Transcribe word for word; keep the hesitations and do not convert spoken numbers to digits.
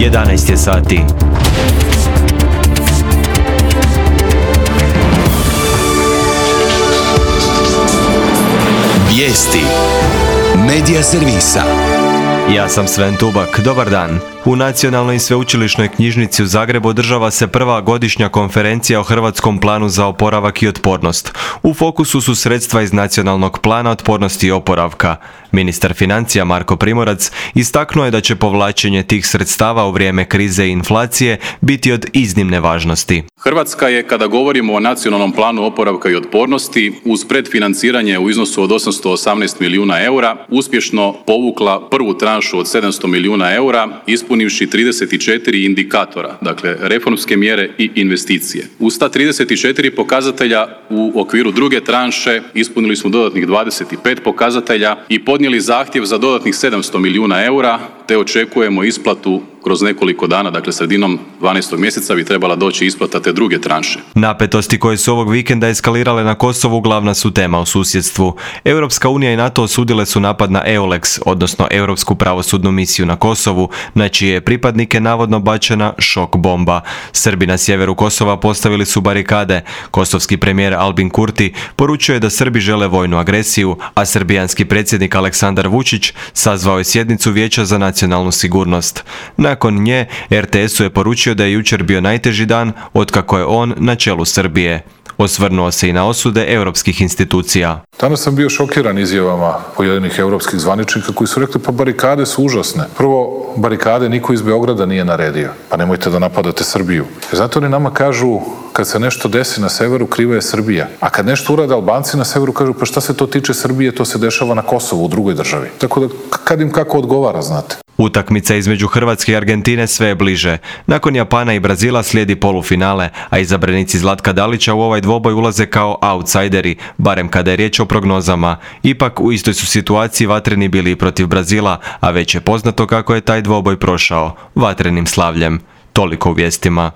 jedanaest je sati. Vijesti Medija servisa. Ja sam Sven Tubak, dobar dan. U Nacionalnoj sveučilišnoj knjižnici u Zagrebu održava se prva godišnja konferencija o Hrvatskom planu za oporavak i otpornost. U fokusu su sredstva iz Nacionalnog plana otpornosti i oporavka. Ministar financija Marko Primorac istaknuo je da će povlačenje tih sredstava u vrijeme krize i inflacije biti od iznimne važnosti. Hrvatska je, kada govorimo o Nacionalnom planu oporavka i otpornosti, uz predfinanciranje u iznosu od osamsto osamnaest milijuna eura, uspješno povukla prvu tranšu od sedamsto milijuna eura, ispunivši trideset četiri indikatora, dakle reformske mjere i investicije. Uz ta trideset četiri pokazatelja u okviru druge tranše ispunili smo dodatnih dvadeset pet pokazatelja i podnijeli zahtjev za dodatnih sedamsto milijuna eura, te očekujemo isplatu kroz nekoliko dana, dakle sredinom dvanaestog mjeseca bi trebala doći isplata te druge tranše. Napetosti koje su ovog vikenda eskalirale na Kosovu glavna su tema u susjedstvu. Europska unija i NATO osudile su napad na EULEX, odnosno Europsku pravosudnu misiju na Kosovu, na čije je pripadnike navodno bačena šok bomba. Srbi na sjeveru Kosova postavili su barikade. Kosovski premijer Albin Kurti poručio je da Srbi žele vojnu agresiju, a srbijanski predsjednik Aleksandar Vučić sazvao je sjednicu Vijeća za nacionalnu sigurnost. Nakon nje, er te esu je poručio da je jučer bio najteži dan otkako je on na čelu Srbije. Osvrnuo se i na osude europskih institucija. Danas sam bio šokiran izjavama pojedinih europskih zvaničnika koji su rekli pa barikade su užasne. Prvo, barikade niko iz Beograda nije naredio, pa nemojte da napadate Srbiju. Zato oni nama kažu kad se nešto desi na severu, kriva je Srbija. A kad nešto urade Albanci na severu, kažu pa šta se to tiče Srbije, to se dešava na Kosovu, u drugoj državi. Tako da kad im kako odgovara, znate. Utakmica između Hrvatske i Argentine sve je bliže. Nakon Japana i Brazila slijedi polufinale, a izabranici Zlatka Dalića u ovaj dvoboj ulaze kao outsideri, barem kada je riječ o prognozama. Ipak u istoj su situaciji vatreni bili i protiv Brazila, a već je poznato kako je taj dvoboj prošao, vatrenim slavljem. Toliko u vijestima.